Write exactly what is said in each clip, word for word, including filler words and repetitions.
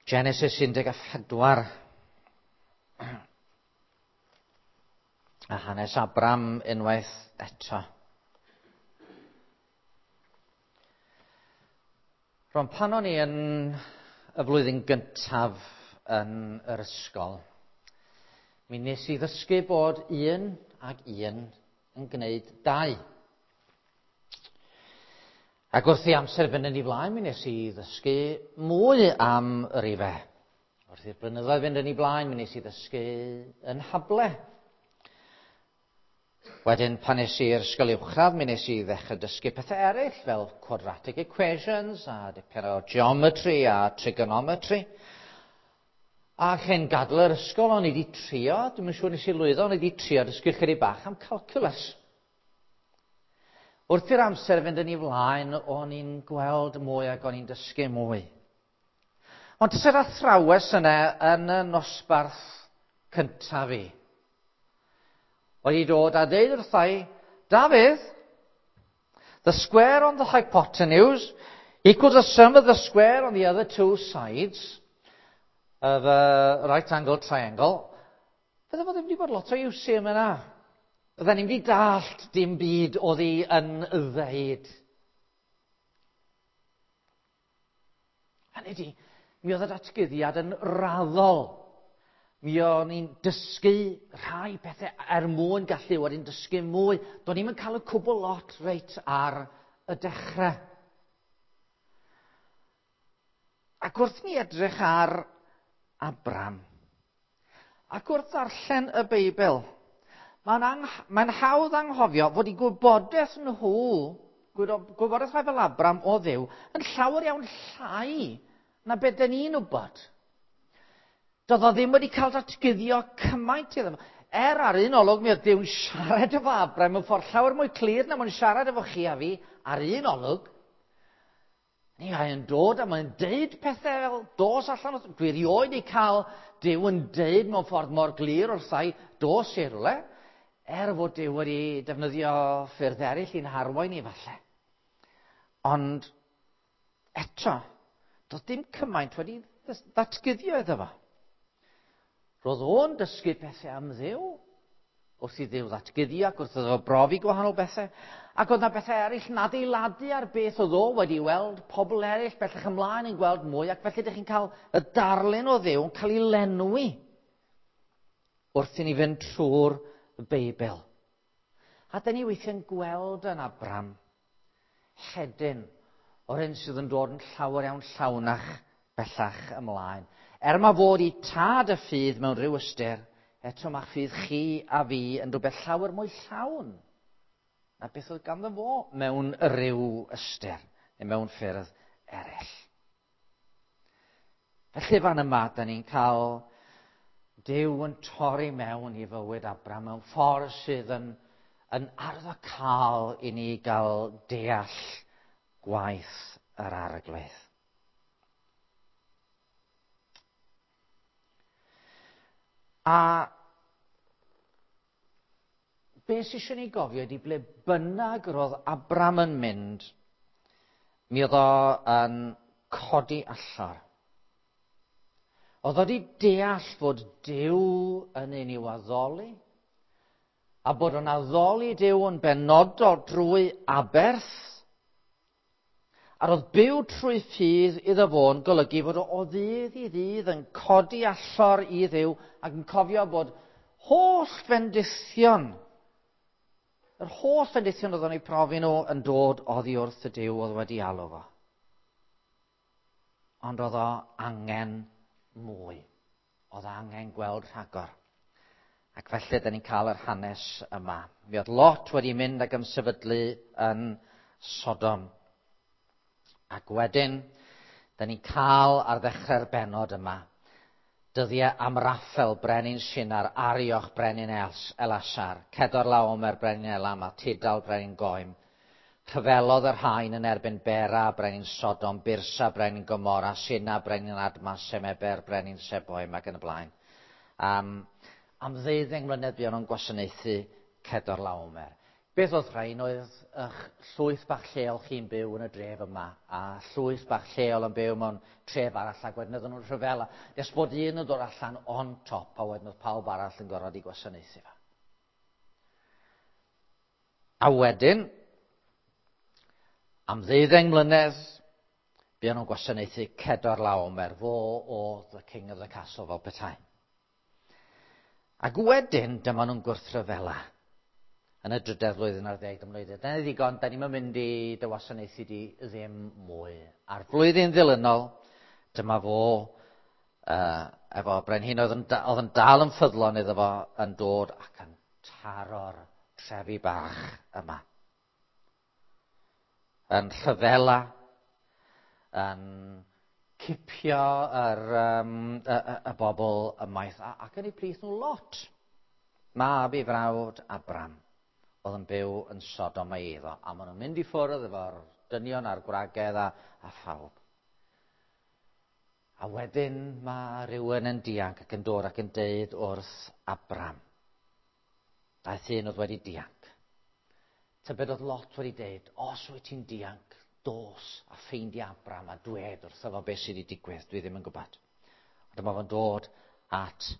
Genesis un deg pedwar. A hanes Abram unwaith eto. Rwan, pan o'n i yn y flwyddyn gyntaf yn yr ysgol, mi nes i ddysgu bod un ag un yn gwneud dau. Ac wrth i amser fynd yn ei flaen, mi nes i ddysgu mwy am y rifau. Wrth i'r blynyddoedd fynd yn ei blaen, mi nes i ddysgu yn hable. Wedyn, pan nes i'r ysgol uwchradd, mi nes i ddechrau dysgu pethau eraill, fel quadratic equations, a dipyn o geometry a trigonometry. A chyn gadael yr ysgol, o'n i wedi trio, dwi'm yn siŵr nes i lwyddo, o'n i wedi trio dysgu chydig bach am calculus. Wrth i'r amser fynd yn ei flaen, o'n i'n gweld mwy ac o'n i'n dysgu mwy. Ond tysa'r athrawes yna yn y nosbarth cyntaf fi wedi dod a dweud wrthai, Dafydd, the square on the hypotenuse equals the sum of the square on the other two sides of a right angle triangle. Fydde fo ddim wedi bod lot o iws i yma. Fydden ni'n wedi dallt dim byd oedd hi yn ddeud. Hynny ydi, mi oedd y datguddiad yn raddol. Mi o'n i'n dysgu rhai pethau er mwyn gallu wedyn dysgu mwy. Do'n i'm yn cael y cwbl lot reit ar y dechrau. Ac wrth ni edrych ar Abram, ac wrth ddarllen y Beibl, mae'n ang- mae'n hawdd anghofio fod eu gwybodaeth nhw, gwybodaeth rhai fel Abram o Dduw, yn llawer iawn llai na beth dyn ni'n wybod. Doedd o ddim wedi cael datguddio cymaint iddo fo. Er ar un olwg mi oedd Duw'n siarad efo Abram mewn ffordd llawer mwy clir na mae'n siarad efo chi a fi ar un olwg. Ni mae'n dod a mae'n deud pethau fel dos allan. Dwi erioed wedi cael Duw yn deud mewn ffordd mor glir wrthai dos i rywle, er fod Duw wedi defnyddio ffyrdd eraill i'n harwain i falle. Ond eto, doedd dim cymaint wedi ddatguddio iddo fo. Roedd o'n dysgu pethau am Dduw, wrth i Dduw ddatguddio ac wrth iddo fo brofi gwahanol bethau. Ac oedd yna bethau eraill yn adeiladu ar beth oedd o wedi weld, pobl eraill bellach ymlaen yn gweld mwy, ac felly ydych chi'n cael y darlun o Dduw yn cael ei lenwi wrth i ni fynd trwy'r Beibl. A dyn ni weithiau'n gweld yn Abram hedyn o'r hyn sydd yn dod yn llawer iawn llawnach bellach ymlaen. Er mae fod i tad y ffydd mewn rhyw ystyr, eto mae ffydd chi a fi yn rhywbeth llawer mwy llawn na beth oedd ganddo fo mewn rhyw ystyr, neu mewn ffyrdd eraill. Felly fan yma, da ni'n cael Duw yn torri mewn i fywyd Abram mewn ffordd sydd yn, yn arwyddocaol i ni gael deall gwaith yr Arglwydd. A beth sydd eisiau ni gofio ydy ble bynnag roedd Abram yn mynd, mi oedd o yn codi allor. Oedd o wedi deall fod Duw yn un i'w addoli, a bod o'n addoli Duw yn benodol drwy aberth, a roedd byw trwy ffydd iddo fo'n golygu fod o o ddydd i ddydd yn codi allor i Dduw ac yn cofio bod holl fendithion, yr holl fendithion oedd o'n eu profi nhw yn dod oddi wrth y Duw oedd wedi alw fo. Ond oedd o angen mwy. Oedd angen gweld rhagor. Ac felly, da ni'n cael yr hanes yma. Mi oedd Lot wedi mynd ac ymsefydlu yn Sodom. Ac wedyn, da ni'n cael ar ddechrau'r bennod yma, dyddiau Amraffel, brenin Sinar, Arioch, brenin Elasar, Cedorlaomer, brenin Elam, a Tidal, brenin Goim. Rhyfelodd yr haen yn erbyn Bera, brenin Sodom, Birsa, brenin Gomorra, Sina, brenin Adma, Semeber, brenin Seboim, ac yn y blaen. Um, am ddeuddeng mlynedd buon nhw'n gwasanaethu Cedorlaomer. Beth oedd rhain oedd eich llwyth bach lleol chi'n byw yn y dref yma, a llwyth bach lleol yn byw mewn tref arall, ac wedyn oedden nhw'n rhyfela. Nes bod un yn dod allan on top, a wedyn oedd pawb arall yn gorfod i gwasanaethu fo. A wedyn, am ddeuddeng mlynedd, buon nhw'n gwasanaethu Cedorlaomer, fo oedd the king of the castle fel petai. Ac wedyn, dyma nhw'n gwrthryfela yn y drydedd flwyddyn ar ddeg, dyma nhw'n dweud, "Dyna ddigon, da ni'n mynd i dy wasanaethu di ddim mwy." A'r flwyddyn ddilynol, dyma fo, uh, efo brenhin oedd yn, oedd yn dal yn ffyddlon iddo fo, yn dod ac yn taro'r trefi bach yma. Yn rhyfela, yn cipio yr, um, y, y, y bobl ymaith, ac yn eu plith nhw Lot. Mab i frawd Abram oedd yn byw yn Sodom a'i eiddo. A maen nhw'n mynd i ffwrdd efo'r dynion a'r gwragedd a, a phawb. A wedyn mae rhywun yn dianc ac yn dod ac yn deud wrth Abram. Daeth un oedd wedi dianc. Tybed oedd Lot wedi deud, "Os wyt ti'n dianc, dos a ffeindio Abram a dwed wrtho fo beth sydd wedi digwydd." Dwi ddim yn gwybod. Ond dyma fo'n dod at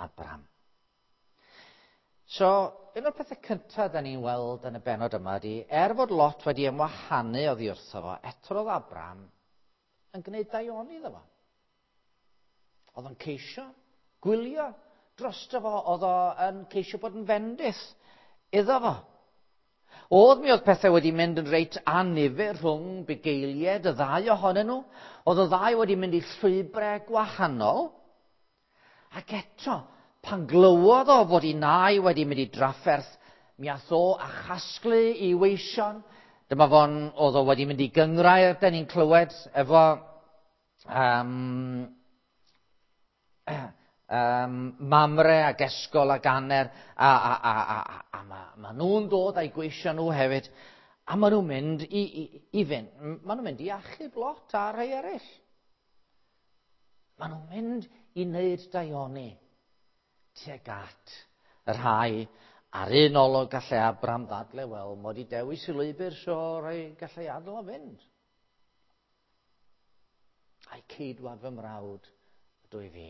Abram. So, un o'r pethau cyntaf da ni'n weld yn y benod yma ydy, er fod Lot wedi ymwahanu oddi wrtho fo, eto roedd Abram yn gwneud daioni iddo fo. Oedd o'n ceisio gwylio drosto fo, oedd o'n ceisio bod yn fendith iddo fo. Oedd mi oedd pethau wedi mynd yn reit annifyr rhwng bugeiliaid y ddau ohonyn nhw. Oedd y ddau wedi mynd i llwybrau gwahanol. Ac eto, pan glywodd o fod ei nai wedi mynd i drafferth, mi ath o a chasglu i weision. Dyma fo'n, oedd o wedi mynd i gyngrair, da ni'n clywed, efo um, um, Mamre ac Esgol ac Aner, a, a, a, a, a, a ma, ma nhw'n dod a'i gweision nhw hefyd, a maen nhw'n mynd i, i, i fynd, maen nhw'n mynd i achub Lot a rhai eraill. Maen nhw'n mynd i wneud daioni tuag at y rhai ar un olwg gallai Abram ddadle, wel, mod i dewis i lwybr, so rhai gallai adael o fynd. A'i ceidwad fy mrawd ydw i fi.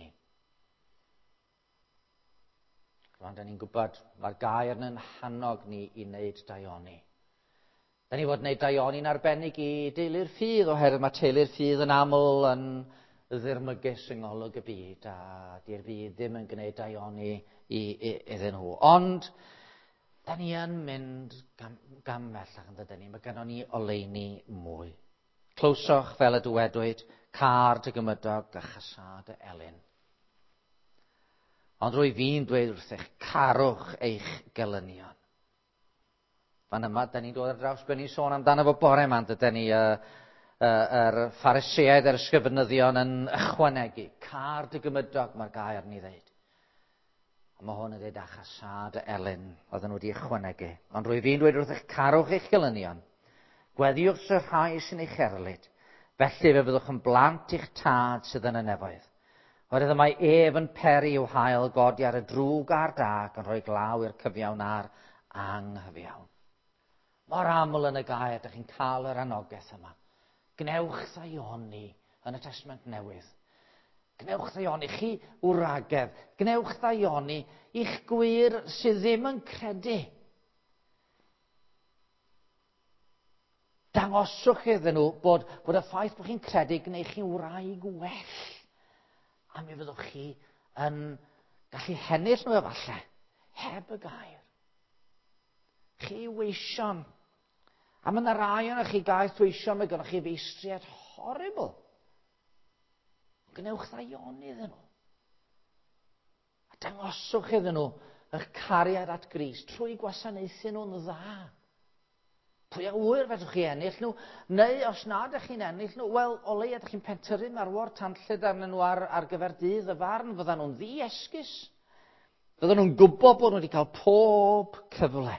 Rwan, da ni'n gwybod, mae'r gair yn hannog ni i wneud daioni. Da ni fod wneud daioni'n arbennig i deulu'r ffydd, oherwydd mae teulu'r ffydd yn aml yn ddirmygus yng ngolwg y byd, a di'r byd ddim yn gwneud daioni i, i, iddyn nhw. Ond, da ni yn mynd gam, gam bellach yn dydyn ni, mae gennon ni oleuni mwy. Clywsoch fel y dywedwyd, "Câr dy gymydog a chasâ dy elyn." Ond rwy fi'n dweud wrthych, carwch eich gelynion. Fan yma, da ni'n dod ar draws be ni'n sôn amdano fo bore yma, dydyn ni, uh, uh, yr Phariseaid a'r ysgrifenyddion yn ychwanegu. Câr dy gymydog, mae'r gair ni ddeud. A mae hwn yn dweud a chasâ dy elyn, oedden nhw wedi ychwanegu. Ond rwy fi'n dweud wrthych, carwch eich gelynion. Gweddiwch y rhai sy'n eich erlid. Felly fe fyddwch yn blant i'ch tad sydd yn y nefoedd. Oherwydd mae ef yn peri i'w haul godi ar y drwg a'r da ac yn rhoi glaw i'r cyfiawn a'r anghyfiawn. Mor aml yn y gair, ydych chi'n cael yr anogaeth yma. Gnewch ddaioni yn y Testament Newydd. Gnewch ddaioni chi wragedd. Gnewch ddaioni i'ch gwŷr sydd ddim yn credu. Dangoswch iddyn nhw bod, bod y ffaith bod chi'n credu gwneud chi'n wraig well. A mi fyddwch chi yn gallu hennill nhw efallai, heb y gair. Chi weision. A mae yna rai ohonoch chi gaeth weision, mae gennych chi feistriaid horrible. Gwnewch ddaioni iddyn nhw. A dangoswch iddyn nhw eich cariad at Grist trwy gwasanaethu nhw'n dda. Pwy a ŵyr fedrwch chi ennill nhw, neu os nad ydych chi'n ennill nhw, wel, o leia ydych chi'n pentyrru marwor tanllyd arnyn nhw ar, ar gyfer dydd y farn, fyddan nhw'n ddi-esgus. Fyddan nhw'n gwybod bod nhw wedi cael pob cyfle.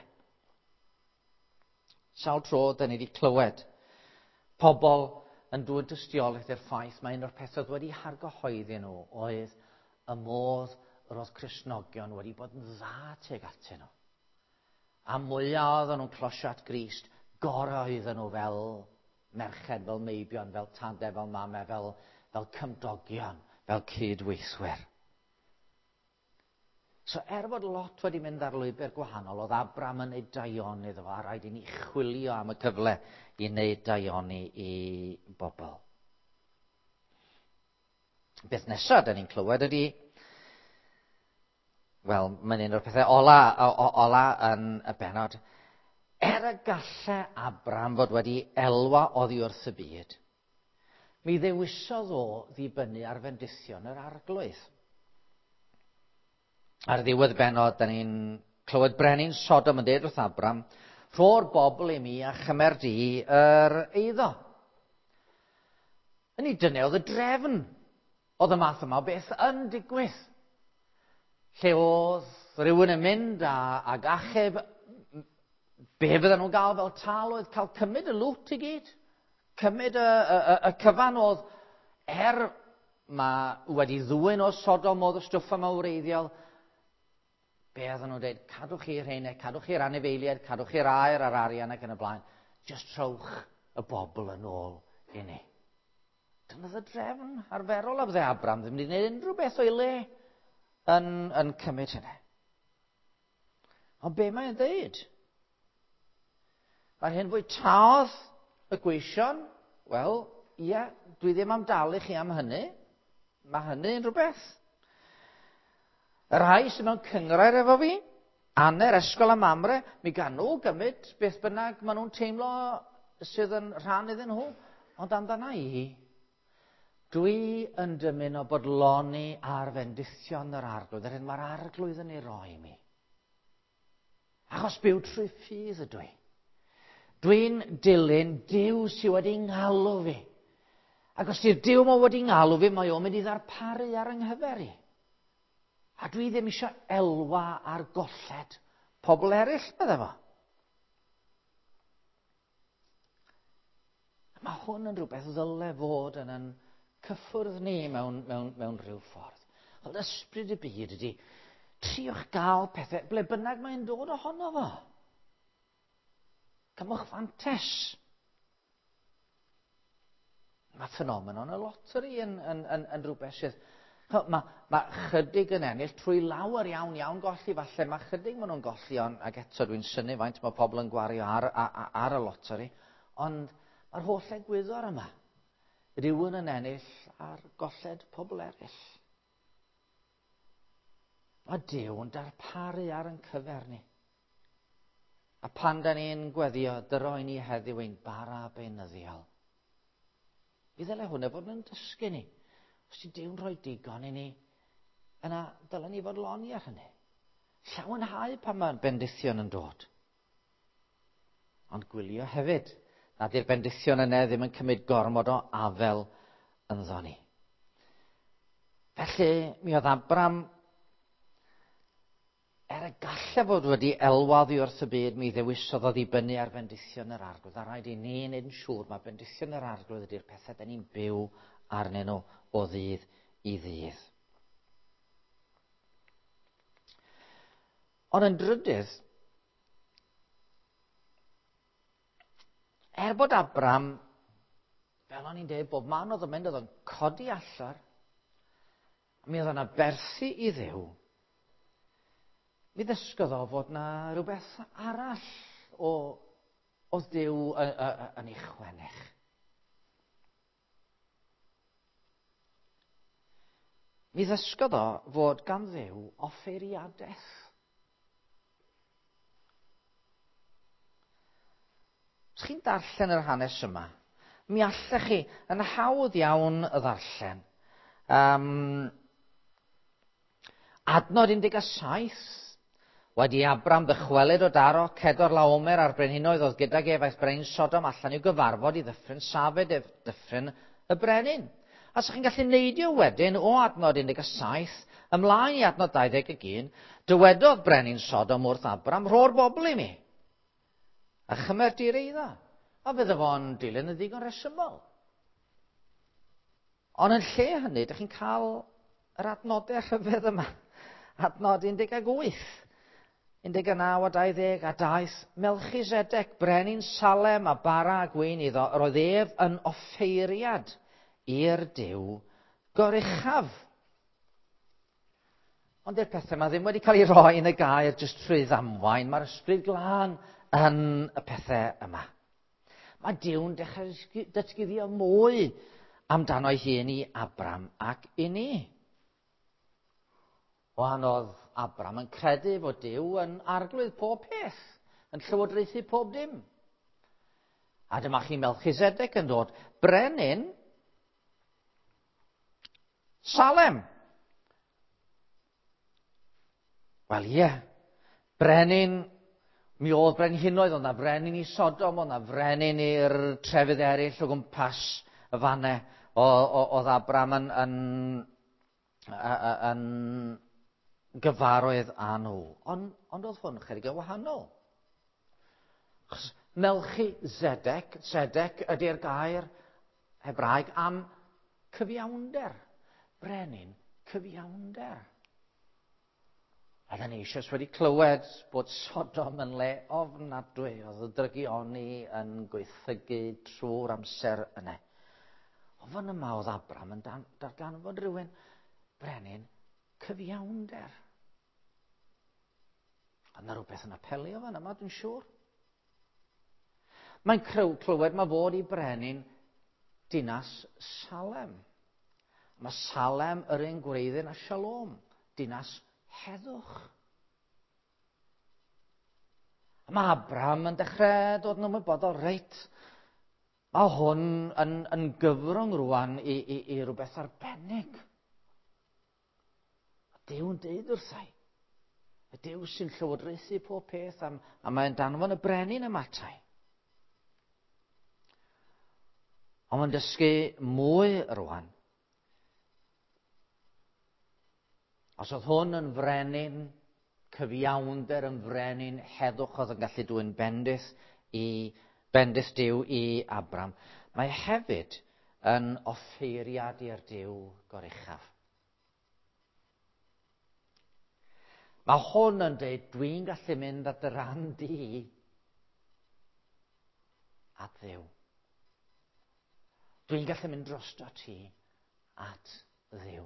Sawl tro, da ni wedi clywed pobl yn dwyn dystiolaeth i'r ffaith mae un o'r pethau oedd wedi hargyhoeddi nhw oedd y modd yr oedd Cristnogion wedi bod yn dda tuag atyn nhw. A mwyaf oedden nhw'n closio at Grist, gorau oedden nhw fel merched, fel meibion, fel tadau, fel mamau, fel, fel cymdogion, fel cydweithwyr. So er fod Lot wedi mynd ar lwybr gwahanol, oedd Abram yn neud daioni iddo fo, a rhaid i ni chwilio am y cyfle i wneud daioni i bobl. Beth nesaf da ni'n clywed ydy, wel, mae'n un o'r pethau ola, o, ola yn y bennod. Er y gallai Abram fod wedi elwa oddi wrth y byd, mi ddewisodd o ddibynnu ar fendithion yr Arglwydd. Ar ddiwedd bennod, da ni'n clywed brenin Sodom yn dweud wrth Abram, rho'r bobl i mi a chymer di yr eiddo. Yn ei dyna oedd y drefn. Oedd y math yma o beth yn digwydd. Lle oedd rhywun yn mynd a, ag achub, be fydden nhw'n gael fel tal oedd cael cymryd y lwt i gyd. Cymryd y, y, y, y cyfan oedd, er mae wedi ddwyn o Sodom oedd y stwff yma wreiddiol, be oedden nhw'n dweud, cadwch chi'r rheina, cadwch chi'r anifeiliaid, cadwch chi'r aer a'r arian ac yn y blaen. Just trowch y bobl yn ôl i ni. Dyna oedd y drefn arferol a fydde Abram ddim wedi gwneud unrhyw beth o'i le yn, yn cymryd hynny. Ond be mae'n dweud? Mae'r hyn fwytaodd y gweision, wel, ie, dwi ddim am dalu chi am hynny. Mae hynny yn rhywbeth. Y rhai sydd mewn cynghrair efo fi, Aner, Esgol a Mamre, mi gan nhw gymryd beth bynnag maen nhw'n teimlo sydd yn rhan iddyn nhw. Ond amdana i, dwi yn dymuno bodloni ar fendithion yr Arglwydd, yr hyn mae'r Arglwydd yn ei roi i mi. Achos byw trwy ffydd ydw i. Dwi'n dilyn Duw sydd wedi ngalw fi. Ac os di'r Duw ma wedi ngalw fi, mae o'n mynd i ddarparu ar yng nghyfer i. A dwi ddim eisiau elwa ar golled pobl eraill, bydde fo. Mae hwn yn rhywbeth ddyle fod yn yn cyffwrdd ni mewn, mewn, mewn rhyw ffordd. Ond ysbryd y byd ydy, triwch gael pethau, ble bynnag mae'n dod ohono fo. Cymwch fantes. Mae ffenomenon y loteri yn, yn, yn, yn rhywbeth sydd... Mae, mae chydig yn ennill trwy lawer iawn iawn golli. Falle mae chydig maen nhw'n golli, ond, ac eto dwi'n synnu faint mae pobl yn gwario ar, ar, ar y loteri. Ond mae'r holl egwyddor yma. Rhywun yn ennill ar golled pobl eraill. Mae Duw yn darparu ar ein cyfer ni. A pan da ni'n gweddio, dyro i ni heddiw ein bara beunyddiol. Mi ddylai hwnna fod yn dysgu ni. Os di Duw'n rhoi digon i ni, yna dylen ni fod loni ar hynny. Llawenhau pan mae'r bendithion yn dod. Ond gwylio hefyd, nad yw'r bendithion yna ddim yn cymryd gormod o afel ynddo ni. Felly, mi oedd Abram, er y gallai fod wedi elwa oddi wrth y byd, mi ddewisodd o ddibynnu ar bendithion yr Arglwydd. A rhaid i ni wneud yn siŵr mae bendithion yr Arglwydd ydy'r pethau da ni'n byw arnyn nhw o ddydd i ddydd. Ond yn drydydd, er bod Abram, fel o'n i'n dweud, bob man oedd yn mynd, oedd o'n codi allar, mi oedd o'n aberthu i Dduw, mi ddysgodd o fod na rhywbeth arall o, oedd Duw yn ei chwennych. Mi ddysgodd o fod gan Dduw offeiriadaeth. Os chi'n darllen yr hanes yma, mi allech chi yn hawdd iawn y ddarllen. Um, adnod un deg saith, wedi Abram ddychwelyd o daro Cedor Laomer a'r brenhinoedd oedd gydag ef aeth brenin Sodom allan i'w gyfarfod i ddyffryn Safed ef dyffryn y brenin. A so chi'n gallu neidio wedyn o adnod un deg saith ymlaen i adnod dau ddeg un, dywedodd brenin Sodom wrth Abram, rho'r bobl i mi, a chymer di'r eiddo. A fydde fo'n dilyn yn ddigon rhesymol. Ond yn lle hynny, dych chi'n cael yr adnodau rhyfedd yma. Adnod un deg wyth. un deg naw a dau ddeg, a daeth Melchisedec, brenin Salem a bara a gwin iddo, yr oedd ef yn offeiriad i'r Duw goruchaf. Ond dy'r pethau yma ddim wedi cael ei roi yn y gair jyst trwy ddamwain. Mae'r Ysbryd Glân yn y pethau yma. Mae Duw'n dechrau datguddio mwy amdano ei hun i Abram ac i ni. Wan oedd Abram yn credu fod Duw yn arglwydd pob peth, yn llywodraethu pob dim. A dyma chi Melchisedec yn dod, brenin Salem. Wel ie, brenin, mi oedd brenhinoedd, oedd na frenin i Sodom, oedd na frenin i'r trefydd eraill o gwmpas y fannau. Oedd Abram yn, yn, yn gyfarwydd â nhw. Ond, ond oedd hwn chydig yn wahanol. Achos Melchisedec, Zedek ydy'r gair Hebraeg am cyfiawnder. Brenin cyfiawnder. A da ni eisoes wedi clywed bod Sodom yn le ofnadwy. Oedd y drygioni yn gweithygu trwy'r amser yna. Ond fan yma oedd Abram yn darganfod rhywun brenin cyfiawnder. A yna rhywbeth yn apelio fan yma, dwi'n siŵr. Mae'n clywed mae fod i brenin dinas Salem. Mae Salem yr un gwreiddyn a Shalom, dinas heddwch. A mae Abram yn dechrau dod yn ymwybodol, reit, mae hwn yn, yn gyfrwng rwan i, i, i rhywbeth arbennig. A Duw yn deud wrthai. Y Duw sy'n llywodraethu pob peth am, a mae'n danfon y brenin yma atai. Ond mae'n dysgu mwy rwan. Os oedd hwn yn frenin cyfiawnder, yn frenin heddwch oedd yn gallu dwyn bendith i bendith Duw i Abram, mae hefyd yn offeiriad i'r Duw goruchaf. Mae hwn yn dweud, dwi'n gallu mynd at dy ran di at Dduw. Dwi'n gallu mynd drosto ti at Dduw.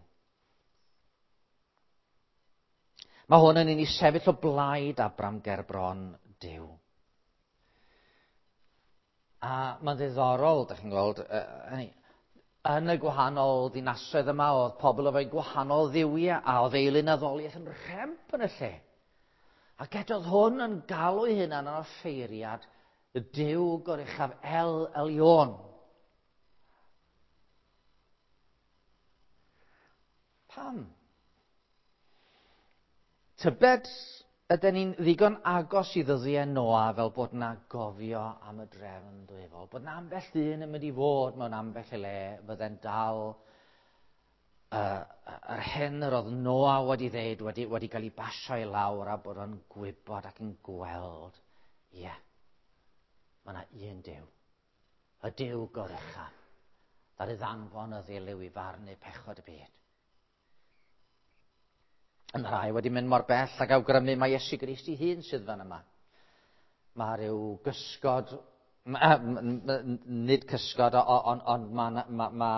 Mae hwn yn un i sefyll o blaid Abram gerbron Duw. A mae'n ddiddorol, dych chi'n gweld, uh, yn y gwahanol ddinasoedd yma oedd pobl efo'i gwahanol dduwiau a oedd eilunaddoliaeth yn rhemp yn y lle. Ac eto oedd hwn yn galw ei hunan yn offeiriad y Duw goruchaf El Elyon. Pam? Tybed ydyn ni'n ddigon agos i ddyddiau Noa fel bod na gofio am y drefn dwyfol, bod na ambell ddyn yn mynd i fod mewn ambell i le fydde'n dal uh, yr hyn yr oedd Noa wedi ddeud, wedi, wedi cael ei basio i lawr a bod o'n gwybod ac yn gweld, ie, yeah, mae yna un Duw, y Duw goruchaf, ddaru ddanfon y ddilyw i farnu pechod y byd. Yn rhai wedi mynd mor bell ac awgrymu mae Iesu Grist ei hun sydd fan yma. Mae rhyw gysgod, nid cysgod, ond on, mae ma, ma,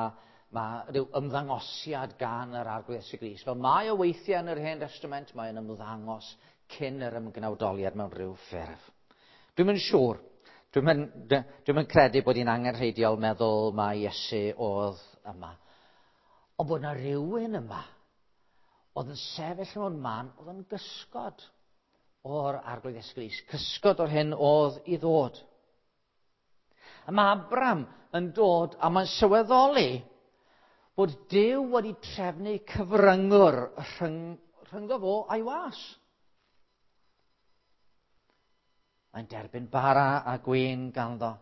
ma rhyw ymddangosiad gan yr Arglwydd Iesu Grist. Fel mae o weithiau yn yr Hen Testament, mae'n ymddangos cyn yr ymgnawdoliad mewn rhyw ffurf. Dwi'm yn siŵr. Dwi'm yn, dwi'm yn credu bod hi'n angenrheidiol meddwl mai Iesu oedd yma. Ond bod yna rhywun yma oedd yn sefyll mewn man, oedd yn gysgod o'r Arglwydd Iesu Grist, cysgod o'r hyn oedd i ddod. A mae Abram yn dod a mae'n sylweddoli bod Duw wedi trefnu cyfryngwr rhyng, rhyngddo fo a'i was. Mae'n derbyn bara a gwin ganddo.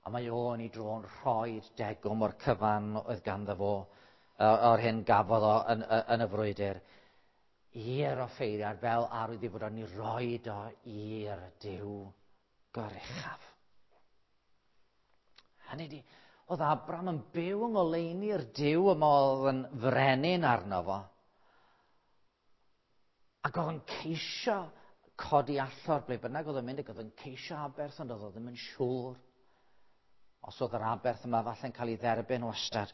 A mae o'n i dro'n rhoi degwm o'r cyfan oedd ganddo fo, o'r hyn gafodd o yn, yn y frwydr, i'r offeiriad fel arwydd i fod o'n i roed o i'r Duw goruchaf. Hynny ydi, oedd Abram yn byw yng ngoleuni'r Duw yma oedd yn frenin arno fo. Ac oedd yn ceisio codi allor ble bynnag oedd yn mynd, ac oedd yn ceisio aberth, ond oedd o ddim yn siŵr os oedd yr aberth yma falle'n cael ei dderbyn wastad.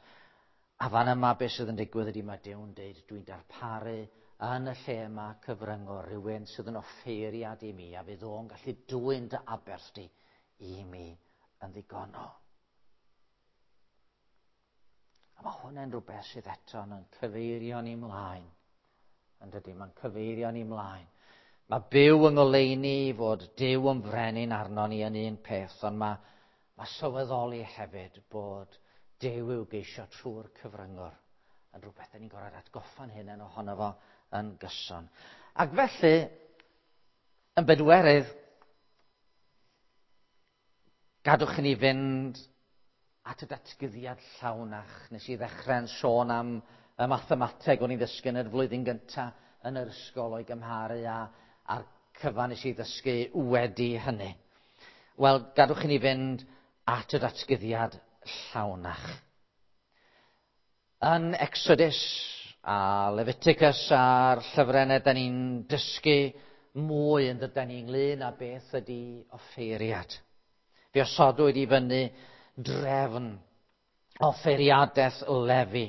A fan yma beth sydd yn digwydd ydy mae Duw'n deud, dwi'n darparu yn y lle yma cyfryngwr rhywun sydd yn offeiriad i mi, a fydd o'n gallu dwyn dy aberth di i mi yn ddigonol. A mae hwnna'n rhywbeth sydd eto yn cyfeirio ni mlaen. Yn dydy, mae'n cyfeirio ni mlaen. Mae byw yng ngoleuni fod Duw yn frenin arno ni yn un peth, ond mae, mae sylweddoli hefyd bod Duw i'w geisio trwy'r cyfryngwr yn rhywbeth da ni'n gorfod atgoffa'n hunain ohono fo yn gyson. Ac felly, yn bedwerydd, gadwch i ni fynd at y datguddiad llawnach. Nes i ddechrau'n sôn am y mathemateg o'n i'n ddysgu yn y flwyddyn gyntaf yn yr ysgol o'i gymharu a, a'r cyfan nes i ddysgu wedi hynny. Wel, gadwch i ni fynd at y datguddiad llawnach. Yn Exodus a Leviticus a'r llyfrennau, da ni'n dysgu mwy yn dydan ni ynglyn â beth ydy offeiriad. Fe osodwyd i fyny drefn offeiriadaeth Lefi.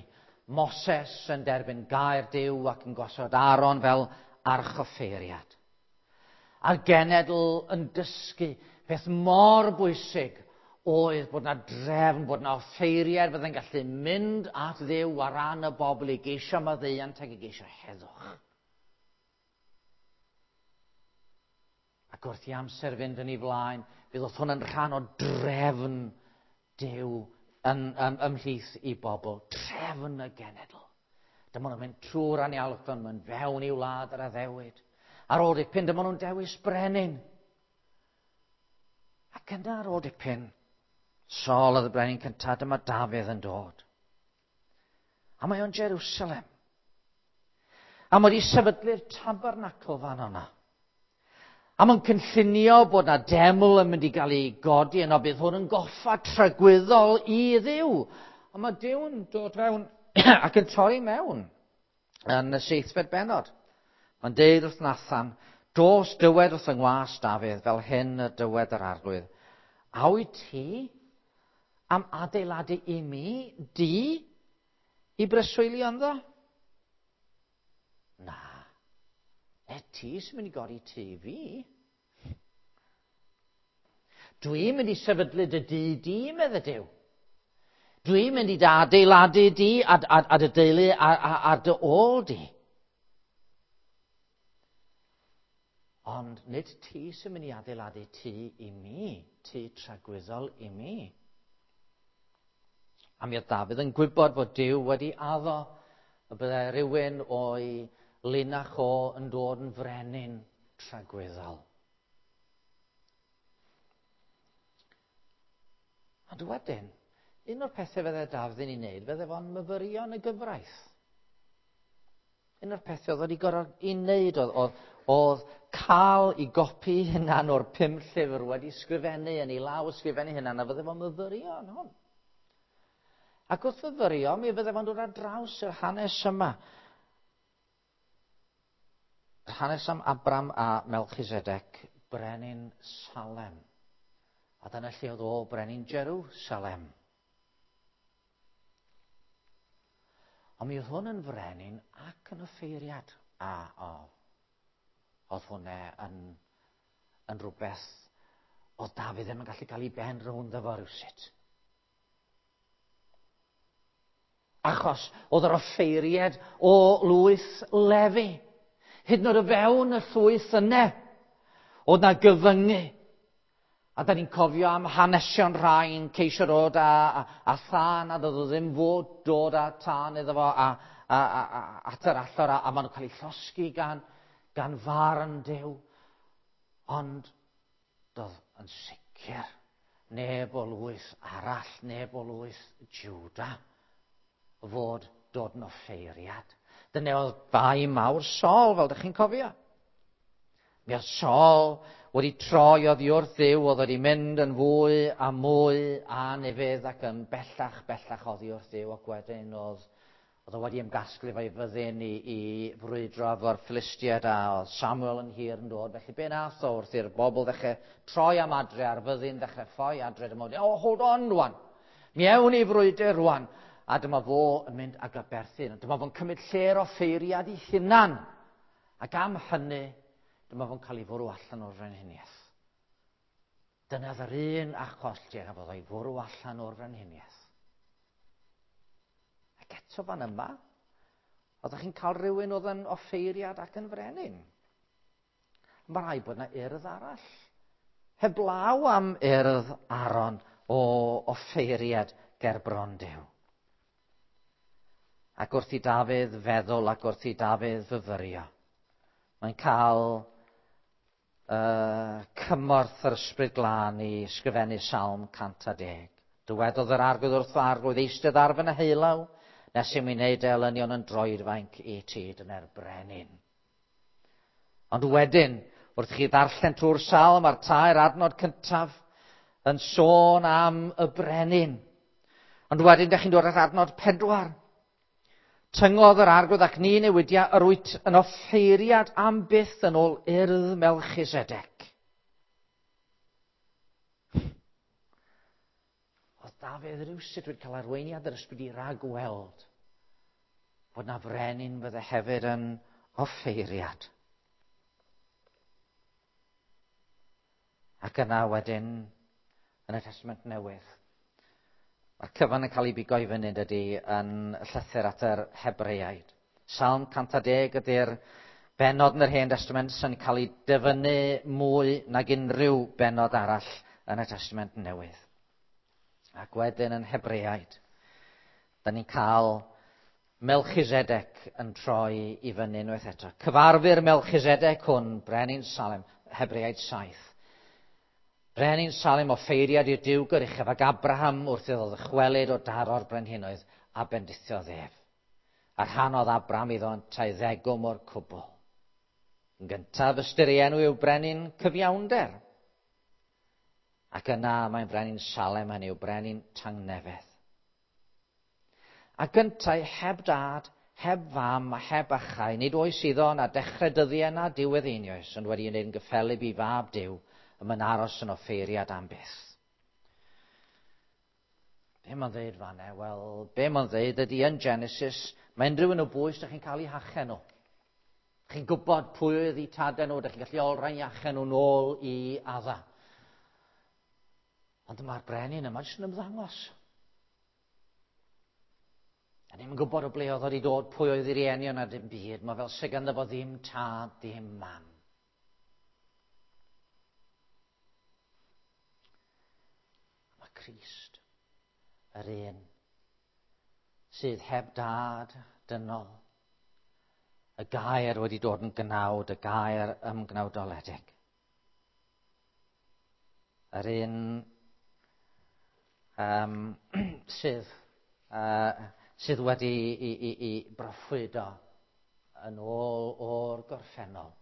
Moses yn derbyn gair Duw ac yn gosod Aaron fel archoffeiriad. A'r genedl yn dysgu peth mor bwysig oedd bod na drefn, bod na offeiriad fydde'n gallu mynd at Dduw ar ran y bobl i geisio maddeuant ac i geisio heddwch. Ac wrth i amser fynd yn ei flaen, fydd oedd hwn yn rhan o drefn Duw yn, yn, ymhlith i bobl, trefn y genedl. Dyma nhw'n mynd trwy'r anialwch, mynd fewn i wlad yr addewid. Ar ôl dipyn, dyma nhw'n dewis brenin. Ac yna ar ôl dipyn, Saul oedd y brenin cyntaf, dyma Dafydd yn dod. A mae o'n Jerusalem. A mae wedi sefydlu'r tabernacl fan yna. A mae'n cynllunio bod na deml yn mynd i gael ei godi yno, bydd hwn yn goffa tragwyddol i Dduw. A mae Duw'n dod fewn ac yn torri mewn yn y seithfed bennod. Mae'n deud wrth Nathan, dos dywed wrth yng ngwas Dafydd, fel hyn y dywed yr arglwydd. A wyt ti am adeiladu i mi, di, i breswylio ynddo? Na. E ti sy'n mynd i godi tŷ fi. Dwi'n mynd i sefydlu dy dŷ di, medde Duw. Dwi'n mynd i dy adeiladu di a, a, a dy deulu a, a, a dy ôl di. Ond nid ti sy'n mynd i adeiladu tŷ i mi, tŷ tragwyddol i mi. A mi oedd Dafydd yn gwybod fod Duw wedi addo y byddai rhywun o'i linach o yn dod yn frenin tragwyddol. Ond wedyn, un o'r pethau fydde Dafydd yn ei wneud, fydde fo'n myfyrio yn y gyfraith. Un o'r pethau oedd wedi gorfod ei wneud oedd, oedd, oedd cael ei gopi hunan o'r pum llyfr wedi sgrifennu yn ei law ysgrifennu hunan, a fydde fo'n myfyrio yn hwn. Ac wrth fyfyrio, mi fydde fo'n dod ar draws yr hanes yma. Yr hanes am Abram a Melchizedek, brenin Salem. A dyna lle oedd o brenin Jerusalem. Ond mi oedd hwn yn frenin ac yn offeiriad. A o, oedd hwnna yn, yn rhywbeth oedd Dafydd ddim yn gallu cael ei ben rownd efo rywsut. Achos oedd yr offeiriad o lwyth Lefi. Hyd yn oed o fewn y llwyth yna, oedd na gyfyngu. A da ni'n cofio am hanesion rhai'n ceisio dod a, a, a thân, a doedd o ddim fod dod â tân iddo fo a, a, a, a, at yr allor, a, a maen nhw'n cael eu llosgi gan, gan farn Duw. Ond doedd yn sicr neb o lwyth arall, neb o lwyth Juda, fod dod yn offeiriad. Dyna oedd bai mawr Saul, fel ydych chi'n cofio. Mi oedd Saul wedi troi oddi wrth Dduw, oedd wedi mynd yn fwy a mwy anufudd ac yn bellach, bellach oddi wrth Dduw, ac wedyn oedd, Oedd o wedi ymgasglu efo'i fyddin i, i frwydro efo'r Philistiaid a oedd Samuel yn hir yn dod. Felly be nath o wrth i'r bobl ddechrau troi am adre a'r fyddin ddechrau ffoi adre. Dyma fo, oh, hold on rwan. Mi ewn i frwydr rwan. A dyma fo yn mynd ag aberthu. Dyma fo'n cymryd lle'r offeiriad i hunan. Ac am hynny, dyma fo'n cael ei fwrw allan o'r frenhiniaeth. Dyna yr un achos lle gafodd o'i fwrw allan o'r frenhiniaeth. Ac eto fan yma, oeddech chi'n cael rhywun oedd yn offeiriad ac yn frenin. Mae rhaid bod yna urdd arall. Heblaw am urdd Aaron o offeiriad ger bron Duw. Ac wrth i Dafydd feddwl ac wrth i Dafydd fyfyrio, mae'n cael uh, cymorth yr Ysbryd Glân i ysgrifennu Salm cant a deg. Dywedodd yr Arglwydd wrth fy Arglwydd, eistedd ar fy nheulaw, nes i mi wneud elynion yn droedfainc i ti, dyna'r brenin. Ond wedyn, wrth chi ddarllen trwy'r salm a'r tair adnod cyntaf yn sôn am y brenin. Ond wedyn, dych chi'n dod at adnod pedwar. Tyngodd yr Arglwydd ac ni newidia, yr wyt yn offeiriad am byth yn ôl urdd Melchisedec. Oedd Dafydd rywsut wedi cael arweiniad yr ysbryd i ragweld bod na frenin fydde hefyd yn offeiriad. Ac yna wedyn, yn y Testament Newydd, mae'r cyfan yn cael ei bigo i fyny, dydy, yn llythyr at yr Hebreaid. Salm cant a deg ydy'r bennod yn yr Hen Testament sy'n cael ei dyfynnu mwy nag unrhyw bennod arall yn y Testament Newydd. Ac wedyn yn Hebreaid, da ni'n cael Melchisedec yn troi i fyny unwaith eto. Cyfarfu'r Melchisedec hwn, brenin Salem, Hebreaid saith. Brenin Salem offeiriad i'r Duw goruchaf ac Abraham wrth iddo ddychwelyd o daro'r brenhinoedd a bendithiodd ef. A rhannodd Abraham iddo yntau ddegwm o'r cwbl. Yn gyntaf, ystyr ei enw yw brenin cyfiawnder. Ac yna mae'n brenin Salem, hynny yw brenin tangnefedd. A gyntaf, heb dad, heb fam a heb achau, nid oes iddo na dechrau dyddiau na diwedd einioes, ond wedi wneud yn gyffelyb i fab Duw, y mae'n aros yn offeiriad am byth. Be mae'n dweud fan'na? Wel, be mae'n dweud ydy yn Genesis, mae unrhyw un o bwys ydych chi'n cael eu hachen nhw. Chi'n gwybod pwy oedd eu tadau nhw, ydych chi'n gallu olrhain eu hachen nhw nôl i Adda. Ond mae'r brenin yma jyst yn ymddangos. A ni'n gwybod o ble oedd wedi dod, pwy oedd ei rieni na dim byd. Mae fel sydd ganddo fo ddim tad, ddim mam. Mae Crist, yr un sydd heb dad dynol, y gair wedi dod yn gnawd, y gair ymgnawdoledig. Yr un um, sydd, uh, sydd wedi i, i, i broffwydo yn ôl o'r gorffennol,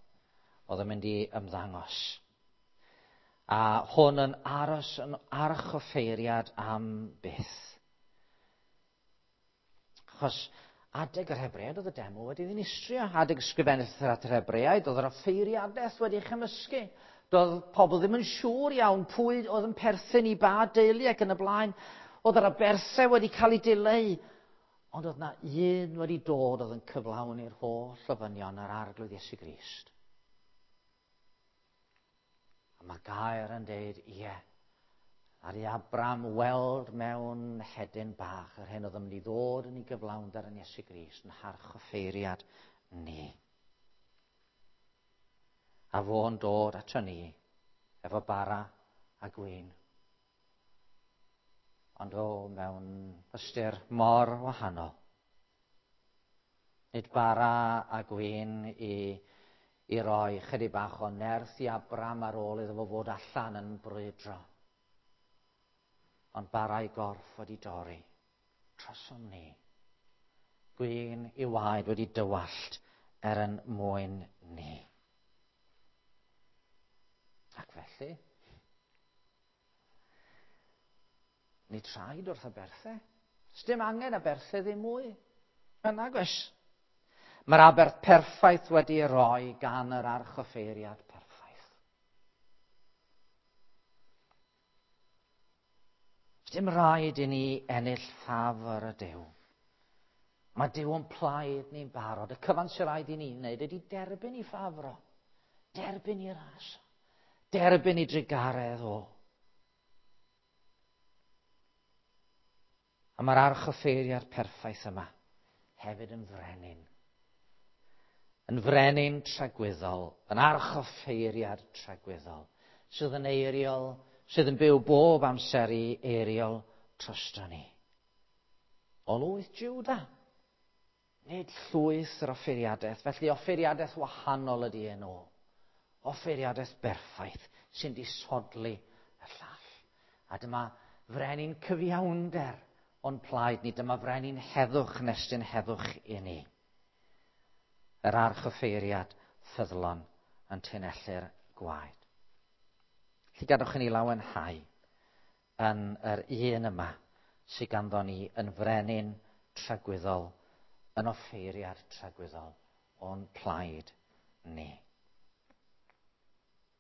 oedd yn mynd i ymddangos. A hwn yn aros yn archoffeiriad am byth. Achos adeg yr Hebreaid oedd y deml wedi ddinistrio. Adeg ysgrifennu at yr Hebreaid oedd yr offeiriadaeth wedi chymysgu. Doedd pobl ddim yn siŵr iawn pwy oedd yn perthyn i ba deulu ac yn y blaen. Oedd yr aberthau wedi cael ei dileu. Ond oedd na un wedi dod oedd yn cyflawni'r holl ofynion yr Arglwydd Iesu Grist. A mae gair yn deud, ie, ar i Abraham weld mewn hedyn bach yr hyn oedd yn mynd i ddod yn ei gyflawnder yn Iesu Grist, yn harchoffeiriad ni. A fo'n dod ato ni efo bara a gwin. Ond o, mewn ystyr mor wahanol. Nid bara a gwin i, i roi chydig bach o nerth i Abraham ar ôl iddo fo fod allan yn brwydro. Ond bara i gorff wedi dorri trosom ni. Gwin i waed wedi dywallt er yn mwyn ni. Ac felly, nid rhaid wrth aberthau. Sdim angen aberthau ddim mwy. Nag oes. Mae'r aberth perffaith wedi ei roi gan yr archoffeiriad perffaith. Dim rhaid i ni ennill ffafr y Duw. Mae Duw yn plaid ni'n barod. Y cyfan sy'n rhaid i ni wneud ydy derbyn i ffafro. Derbyn i ras. Derbyn i drugaredd o. A mae'r archoffeiriad perffaith yma hefyd yn frenin. Yn frenin tragwyddol, yn archoffeiriad tragwyddol, sydd yn eiriol, sydd yn byw bob amser i eiriol drosto ni. O lwyth Juda, nid llwyth yr offeiriadaeth, felly offeiriadaeth wahanol ydy enw. Offeiriadaeth berffaith sy'n disodli y llall. A dyma frenin cyfiawnder o'n plaid ni, dyma frenin heddwch nestyn heddwch i ni. Yr archoffeiriad ffyddlon yn tunellu'r gwaed. Felly gadwch i ni lawenhau yn yr un yma sydd ganddo ni yn frenin tragwyddol, yn offeiriad tragwyddol o'n plaid ni.